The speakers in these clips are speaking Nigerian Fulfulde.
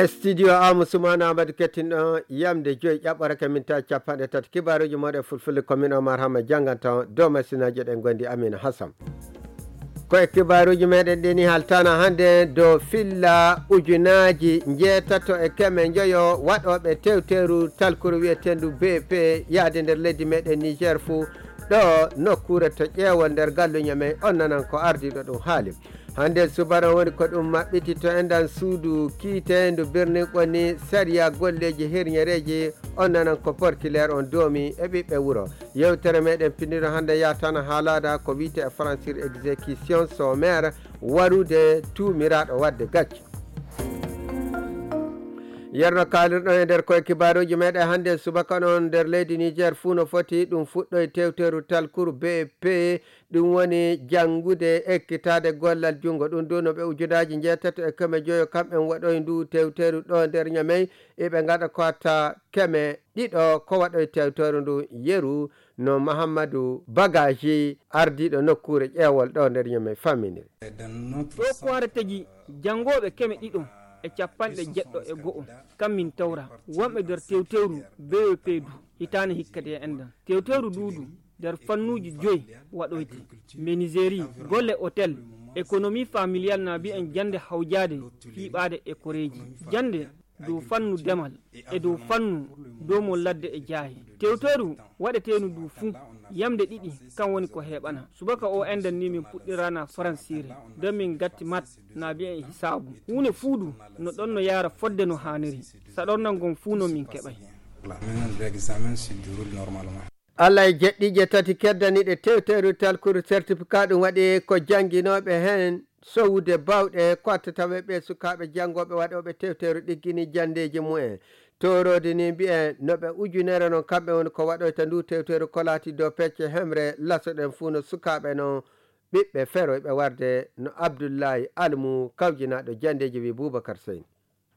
studio Amadou Soumana Amadou kettinɗo yamde joyi ƴaɓɓorake minta capanɗe tati kibaruji moɗe fulfulde commune Omar Hamma janganta dow machinaji ɗen gondi Amina Hassan koye kibaruji meɗen ɗini haltana hande dow filla ujunaji jeetato e keme joyo waɗoɓe tewteru talkuru wiyetendu BP yaade nder leydi meɗen Niger fou ɗo nokkure to ƴeewo nder galluña men on nanan ko ardiɗo ɗum haali hande subana woni ko ɗum maɓɓitito endan suudu kiitendu birni ɓonni sariya golleji hirñereji on nanan ko porkilaire on doomi e ɓiɓɓe wuuro yewtere meɗen pinniɗo hande yatana haalada ko wiite e français exécution sommaire warude tumiraɗo wadde gacce yerno kalirɗon e nder koye kibaruji meɗen hande subaka noon nder leydi Niger fuu no foti ɗum fuɗɗo tewteru talkuru BP ɗum woni janngude ekkitade gollal junngo ɗum du no ɓe ujunaji jeetato e keme joyo kamɓen waɗoy ndu tewteru ɗo nder ñamey eɓe gaɗa ko watta keme ɗiɗo ko waɗoy tewteru ndu yeru no Mahamadou Bagaji ardiɗo nokkure ƴeewol ɗo nder ñamey famminire ɗo ko wara tagi janngoɓe keme ɗiɗo e capanɗe jeɗɗo e go'o kammin tawra wonɓe nder tewteru BEP du hitane hikkade e endan tewteru duudu nder fannuji joyi waɗoyte menuiserie golle hôtel économie familiale na mbi'en jande hawjade fiiɓade e koreji jande dow fannu demal e dow fannu domol ladde e jaahi tewteru waɗetenu du fuu yamde ɗiɗi kan woni ko heɓana subaka o endan ni min puɗɗirana francire nden min gatti mat na mbi'en hisabu hunde fuudu no ɗon no yaara fodde no haniri saɗornan gon fuu no min keɓay Allah e jeɗɗije tati keddaniɗe tewteru talkuru certificat ɗum waɗi ko janguinoɓe hen sowude bawɗe ko attatawe ɓe sukaɓe jangoɓe waɗoɓe tewteru ɗiggini jandeji mumen torode ni mbi'en noɓe ujunere noon kamɓe woni ko waɗoyta ndu tewteru ko laati dow pecce hemre lasoɗen fuu no sukaɓe no ɓiɓɓe feroyɓe warde no Abdoullahi Almou kawjinaɗo jandeji wi Boubacar Seyni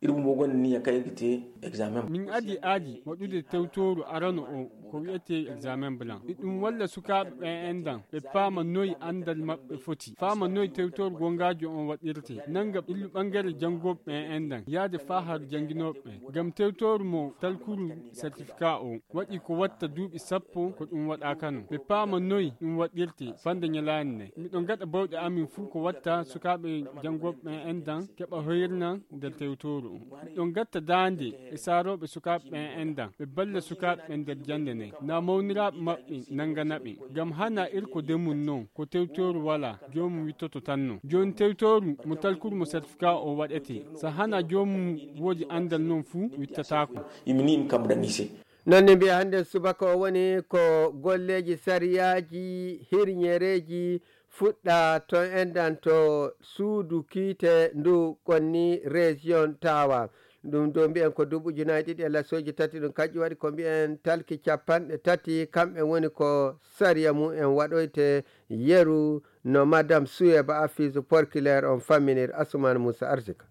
irum mo gonni ni yakayngite examen min adi waɗude tewtoru arano o ko wiyete examen blanc ɗum walla sukaɓe ɓe endan ɓe paama noyi andal maɓɓe foti faama noyi tewtoru gongaji on waɗirte nanga illu ɓangare jangoɓe ɓe endan yaade fa har janguinoɓe gam tewtoru mo talkuru certificat o waɗi ko watta duuɓi sappo ko ɗum waɗakano ɓe paama noyi ɗum waɗirte fande ñalani ne miɗon gaɗa bawɗe amin fuu ko watta sukaɓe jangoɓe ɓe endan keɓa hoyrna nder tewtoru ɗon gatta dande e saroɓe sukaɓe ɓen endan ɓe balla sukaɓe ɓen nder jande ne na mawniraɓe maɓɓe nanganaɓe gam hana irko demun noon ko tewtoru wala jomum wittoto tan no joni tewtoru mo talkuru mo certificat o waɗete so hana jomum woodi andal noon fuu wittatako imini im kam ɗanise nonne mbiya hande subaka o woni ko golleji sariyaji hirñereji fuɗɗa to endan to suudu kiite ndu konni région tawa ɗum do mbiyen ko duuɓi ujunaji ɗiɗi e lasoji tati ɗum kaƴƴi waɗi ko mbiyen talki capanɗe tati kamɓe woni ko sariya mumen waɗoyte yeru no madame Souyeba Afise porkilaire on famminir Asuman Moussa Arsika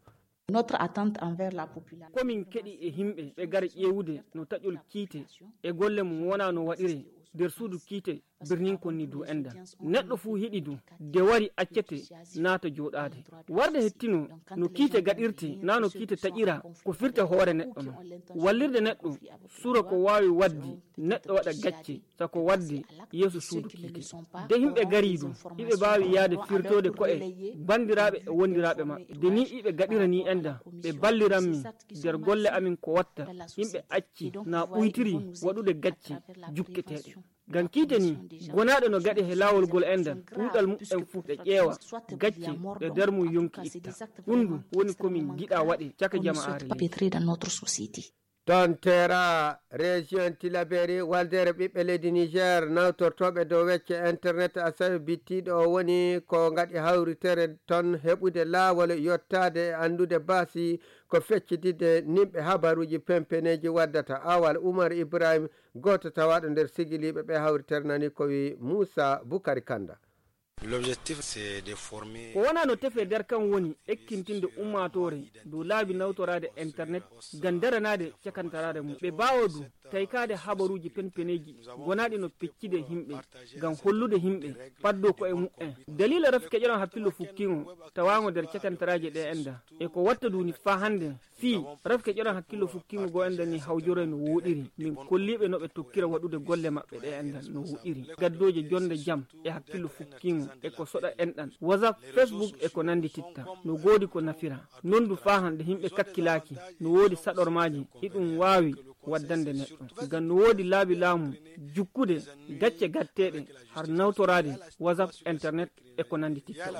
notre attente envers la population komin keɗi e himɓe ɓe gara ƴewude no taƴol kiite e golle mum wona no waɗire nder suudu kiite birnin konni du enda neɗɗo fuu hiɗi du de wari accete naata jooɗaade warde hettino no kiite gaɗirte na no kiite taƴira ko firta hoore neɗɗo no wallirde neɗɗo sura ko waawi waddi neɗɗo waɗa gacce sako wadde yeeso suudu kiite de himɓe gari du iɓe mbaawi yaade firtode ko'e bandiraɓe e wondiraaɓe maɓɓe de ni iɓe gaɗira ni enda ɓe balliranmi nder golle amin ko watta yimɓe acci na ɓuytiri waɗude gacce jukketeɗe gam kiite ni gonaɗo no gaɗi he lawol gol endan ɗuɗal muɗɗen fuu ɗe ƴeewa gacce ɗe nder mum yonki itta ɗum du woni komin giɗa waɗe caka jama'are ton tera région Tilaberi waldere ɓiɓɓe leydi Niger nawtortoɓe dow wecce internet asawi bittiɗo o woni ko gaɗi hawritere ton heɓude laawol yottade e andude baasi ko feccitide nimɓe habaruji pempeneji waddata awal Oumar Ibrahim goto tawaɗo nder sigiliɓe ɓe hawritere nani ko wi Moussa Boukari Kanda ko wona no tefe nder kan woni ekkintinde ummatore dow laabi nawtorade internet ngam daranade cakantarade mum ɓe bawodu taykade habaruji penpeneji gonaɗi no peccide himɓe ngam hollude himɓe paddo ko e mu'en dalila rafi keƴoɗon hakkillo fukkingo tawango nder cakantaraje ɗe enda e ko watta duni fa hande fi rafi keƴoɗon hakkillo fukkingo go enda ni hawjore no woɗiri min kolliɓe no ɓe tokkira waɗude golle maɓɓe ɗe enda no woɗiri gaddoje jonde jaam e hakkillo fukkingo e ko soɗa enɗan whatsapp facebook e ko nandi titta no godi ko nafira nondu fa hande himɓe kakkilaki no wodi saɗormaji iɗum wawi waddande neɗɗo ngam no wodi laabi laamu jukkude gacce gatteɗe har nawtorade whatsapp internet e ko nandi titta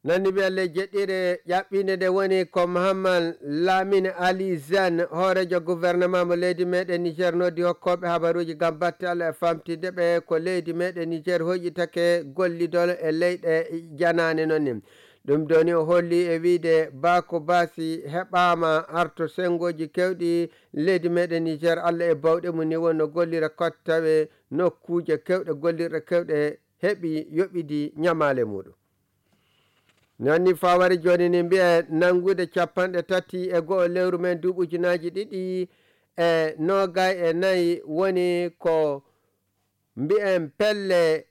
nandi ɓe allah jeɗɗire ƴaɓɓinde nde woni ko Mohammad Lamine Ali Zane hoorejo gouvernement mo leydi meɗen Niger noddi hokkoɓe habaruji gam batte Allah e famtide ɓe ko leydi meɗen Niger hoƴƴitake gollidol e leyɗe janane nonni ɗum doni o holli e wiide Bako Basi heɓama arto sengoji kewɗi leydi meɗen Niger Allah e bawɗe mum ni wonno gollira kottaɓe nokkuje kewɗe gollirɗe kewɗe heeɓi yoɓidi ñamale muɗum nonni fawari joni ni mbiye nangude 30 lewru men duuɓujunaji 2024 woni ko mbiyen pelle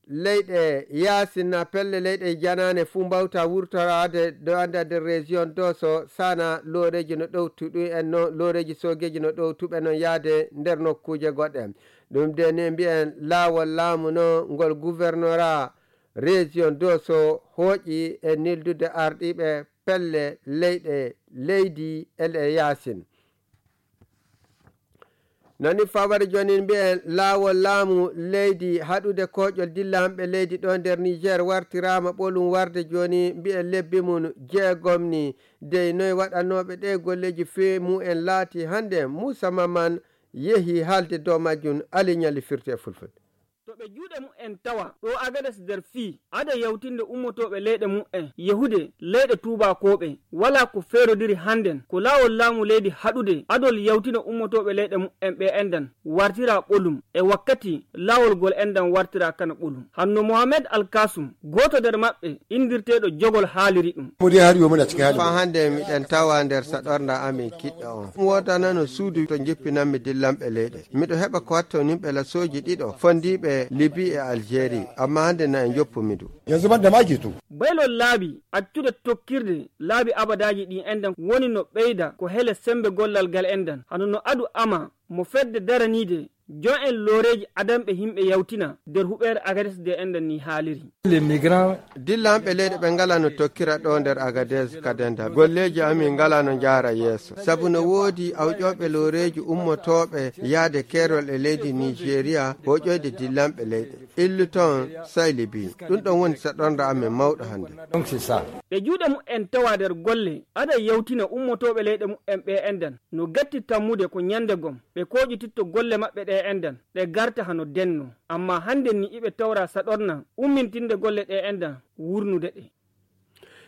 leyɗe yasinna pelle leyɗe janane fuu mbawta wurtorade do anda nder région doso sana loreji no ɗowtuɗu en no loreji sogeji no ɗowtuɓe noon yaade nder nokkuje goɗɗe ɗum de ni mbiyen laawol laamu no ngol gouvernorat région doso hooƴi e nildude arɗiɓe pelle leyɗe leydi ele yasin noni fawari joni mbiyen laawol laamu leydi haɗude koƴol dilla hamɓe leydi ɗo nder Niger wartirama ɓolum warde joni mbiyen lebbi mum jeegom ni dey noye waɗanoɓe ɗe golleji fewi mumen laati hande Moussa Maman yeehi haalde dow majjum aliñali firte e fulfulde to ɓe juuɗe mu'en tawa ɗo Agades nder fii ada yawtinde ummotoɓe leyɗe mu'en yehude leyɗe tubakoɓe wala ko feerodiri hannden ko laawol laamu leydi haɗude adol yawtina ummotoɓe leyɗe mu'en ɓe endan wartira ɓolum e wakkati laawol gol endan wartira kana ɓolum hanno Mohamed Alkasum goto nder maɓɓe indirteɗo jogol haaliri ɗum fa hande miɗen tawa nder saɗorda amin kiɗɗo on wodanano suudu to jippinanmi dillanɓe leyɗe miɗo heɓa ko watta nimɓe lasoji ɗiɗo fondiɓe Libye e Algérie amma hande na en joppumidu yanzu banda maki to baylol laabi accude tokkirde laabi abadaji ɗi endan woni no ɓeyda ko hele sembe gollal gal endan hano no adu ama mo fedde daranide jon en loreji adamɓe himɓe yawtina nder huɓere Agades de endan ni haaliri dillanɓe leyɗe ɓe ngala no tokkira ɗo nder Agades kadenda golleji amin ngala no jaara yeeso saabu no woodi awƴoɓe loreji ummotoɓe yaade kerol e leydi Nigéria hoƴoyde dillanɓe leyɗe illu toon saylibi ɗum ɗon woni saɗorda amin mawɗo hande ɓe juuɗe mu'en tawa nder golle ada yawtina ummotoɓe leyɗe mu'en ɓe endan no gatti tammude ko ñande gom ɓe koƴititto golle maɓɓe ɗe endan ɗe garta hano denno amma hande ni iɓe tawra saɗorna ummintinde golle ɗe endan wurnude ɗe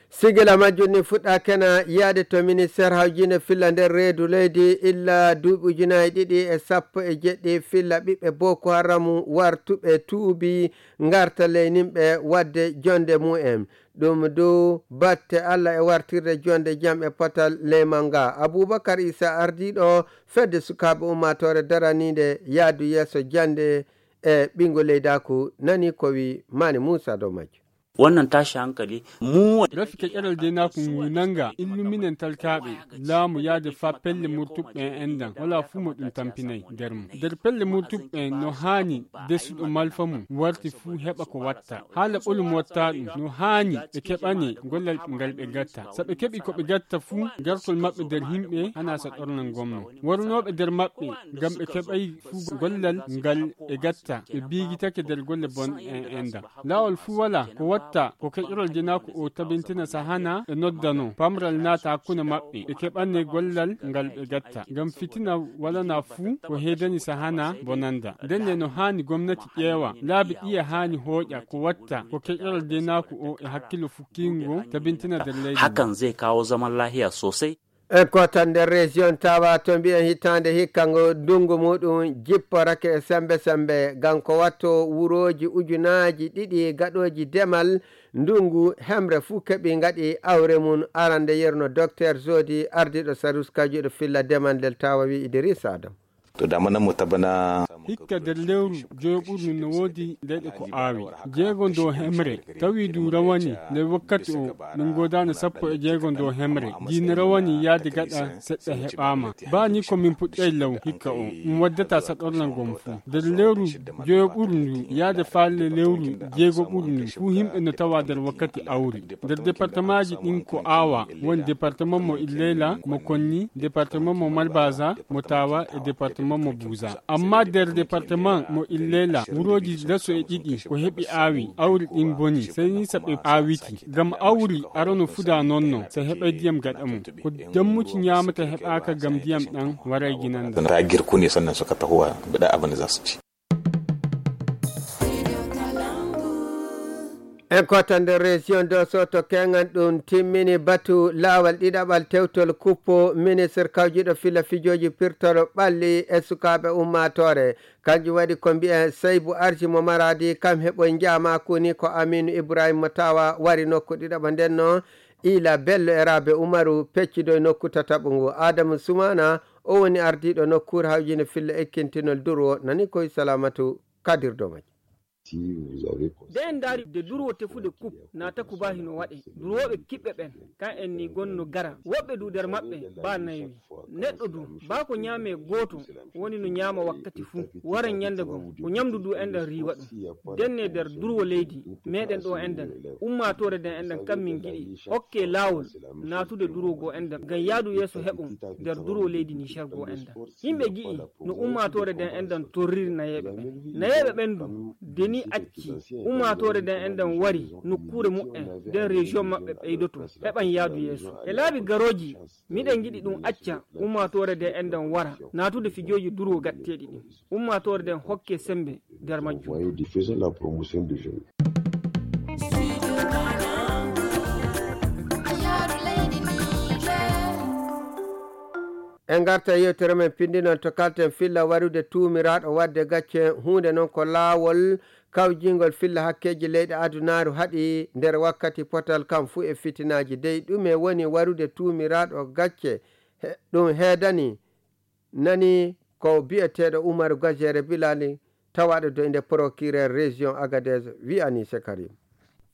sigila majjum ni fuɗɗa kena yaade to ministére hawjinde filla nder reedu leydi illa duuɓi 2017 filla ɓiɓɓe Boko Haram wartuɓe tuubi garta leyninɓe wadde jonde mu'en ɗum dow batte Allah e wartirde jonde jam e potal leymal nga Aboubacar Issa ardiɗo fedde sukaɓe ummatore daranide yaadu yeeso jande e ɓingo leydaku nani ko wi Mani Moussa dow majjum wannan tashi hankali mu rafike ƙeral de na kun nanga illuminen talkaɓe laamu yaade fa pelle murtuɓɓe endan wala fu mo ɗum tampinay nder mum nder pelle murtuɓɓe no haani desuɗo malfa mum warti fu heɓa ko watta haala ɓolum watta ɗum no haani ɓe keɓane gollal ngal ɓe gatta so ɓe keɓi ko ɓe gatta fu gartol maɓɓe nder himɓe hana sa ɗornan gomno warnoɓe nder maɓɓe ngam ɓe keɓay fu gollal ngal ɓe gatta ɓe biigitake nder golle bon endan laawol fu wala ko watta ko keƴorol jenaku o tabintina sahana e noddano pamral naata hakkunde maɓɓe ɓe keɓanne gollal ngal ɓe gatta ngam fitina walana fuu ko heedani sahana bonanda ndenne no haani gomnati ƴeewa laabi ɗiya haani hooƴa ko watta ko keƴorol jenaku o e hakkilo fukkingo tabintina nder leydi hakan zai kawo zaman lahiya sosai e kota nder région tawa to mbiyen hitande hikkango ndungu muɗum jipporake e sembe ganko watto wuroji ujunaji ɗiɗi gaɗoji demal ndungu hemre fuu keɓi gaɗi awre mum arande yerno docteur Zodi ardiɗo Sarus kajuɗo filla demal del tawa wi Idrissa Adam to damana mo tabana hikka nder lewru joɓurnu no woodi leyɗe ko aawi jeego ndo hemre tawi du rawani nder wakkati o min godano 16 ndo hemre diina rawani yaade gaɗa seɗɗa heɓama bani ko min puɗɗay law hikka o waddata saɗornal gom fuu nder lewru joɓurndu yaade falle lewru jeego ɓurnu fuu himɓe no tawa nder wakkati awri nder département ji ɗin ko aawa woni département mo Illela mo Konni département mo Malbaza mo Tawa e département mo Buza amma nder département mo Illela wuroji leso e ɗiɗi ko heɓi aawi awri ɗin boni seni saɓe aawiti gam awri arano fuda nonno so heɓa diyam gaɗa mum ko dammuci ñamata heɓaka gam diyam ɗan waray ginanda ta girkuni sannan suka tahowa bida abin da za su ci en kota nder région de Soto kengan ɗum timmini batu laawal ɗiɗaɓal tewtol kuppo ministre kawjuɗo fila fijoji pirtoro ɓalli e sukaɓe ummatore kanjum waɗi ko mbiyen Seybou Arji mo maradi kam heɓoy jamaku ni ko Aminou Ibrahima Tawa wari nokku ɗiɗaɓa ndenno Ila Bello e Rabe Umaru peccido nokku tataɓo ngu Adamu Soumana o woni ardiɗo nokkure hawjine filla ekkintinol Durwo nani koye Salamatu Kadir Domaji den dari de durwo tefude kup nata kuba hino waɗe durwoɓe kiɓɓe ɓen kan en ni gonno gara woɓɓe du nder maɓɓe ba nayi neɗɗo du ba ko ñaame goto woni no ñaama wakkati fuu wara ñande gon ko ñamdu du enden riwa ɗum denne nder durwo leydi meɗen ɗo enden ummatore den enden kam min giɗi hokke lawol natude durwo go enden gam yaadu yeeso heɓum nder durwo leydi Niger go enden yimɓe gi'i no ummatore den enden torriri nayeɓe ɓen du deni acci ummatore den enden wari nokkure mu'en den région maɓɓe ɓeydoto heɓan yaadu yeeso e laabi garoji miɗen giɗi ɗum acca ummatore den enden wara natude fijoji durwo gatteɗi ɗin ummatore den hokke sembe nder majjum en garta yewtere men pindi noon to kalten filla warude tuumiraɗo wadde gacce hunde noon ko laawol kawjingol filla hakkeji leyɗe adunaru haɗi nder wakkati potal kam fuu e fitinaji dey ɗume woni warude tuumiraɗo gacce ɗum heedani nani ko bi'eteɗo Umaru Gajere Bilali tawaɗo do inde procureur région Agadez wi'ani Sekarim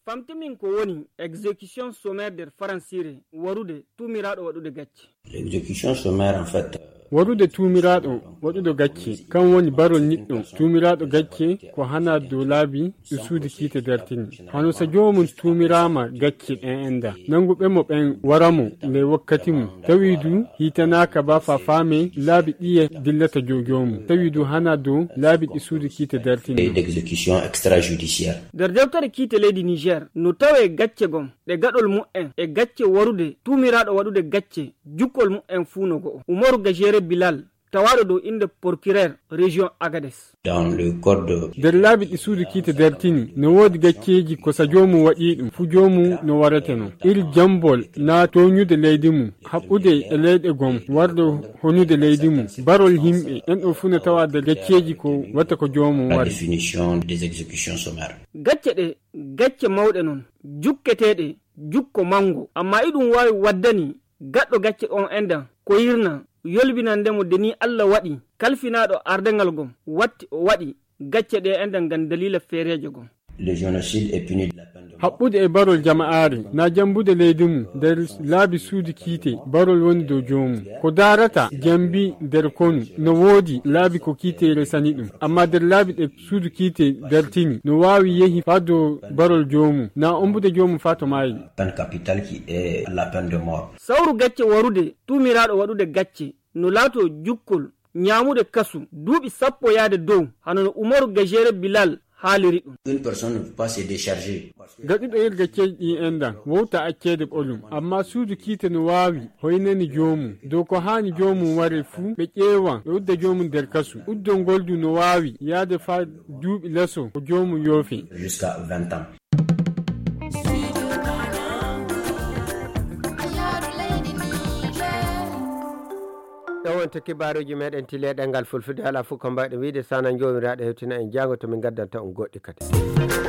famtimin ko woni exécution sommaire nder faransire warude tuumiraɗo waɗude gacce l'exécution sommaire en fait warude tuumiraɗo waɗudo gacce kan woni barol niɗɗo tuumiraɗo gacce ko hana dow laabi ɗo suudi kiite dartini hano so jomum tuumirama gacce ɗen enda nanguɓe mo ɓen waramo nde wakkati mum tawi du hitanaka ba fa faame laabi ɗiye dillata jomum tawi du hana dow laabi ɗi suudi kiite dartini d'exécution extrajudiciaire nder dewtere kiite leydi Niger no tawe gacce gom ɗe gaɗol mu'en e gacce warude tuumiraɗo waɗude gacce jukkol mu'en fuu no go'o Umaru Gajere Bilal tawaɗo dow inde procureur région Agadez dans le code nder laabi ɗi suudu kiite dartini no woodi gacceji ko sa jomum waɗi ɗum fu jomum no warateno iri jambol na toñude leydi mum haɓɓude e leyɗe gom wardo honude leydi mum barol himɓe en ɗo fu no tawa nder gacceji ko watta ko jomum la wari définition des exécutions sommaires gacce ɗe gacce mawɗe noon jukketeɗe jukko mango amma iɗum wawi waddani gaɗɗo gacce on endan ko yirna yolbinandemo deni Allah waɗi kalfinaɗo ardengal gom watti o waɗi gacce ɗe enden gam dalila feereje gom le génocide est puni de la peine de mort haɓɓude e barol jama'aare na jambude leydi mum nder laabi suudu kiite barol woni dow jomum ko darata jambi nder konu no woodi laabi ko kiite resani ɗum amma nder laabi ɗe suudu kiite dartini no wawi yehi fa dow barol jomum na ombude jomum fa to maayi peine capitale qui est la peine de mort sawru gacce warude tuumiraɗo waɗude gacce no laato jukkol ñamude kasu duuɓi 10 yaade dow hanono Umaru Gajere Bilal haaliri ɗum une personne ne peut pas se décharger gaɗuɗo yer gacceji ɗi endan wowta accede ɓolum amma suudu kiite no wawi hoynani jomum dow ko hani jomum ware fuu ɓe ƴeewan ɓe udda jomum nder kasu uddol ngol du no wawi yaade fa duuɓi leso ko jomum yoofi jusqu'à 20 ans on to kibaruji meɗen tileɗengal fulfulde ala fof ko mbawɗe wiide sana jomiraɗo hewtina en jango to min gaddanta on goɗɗi kadi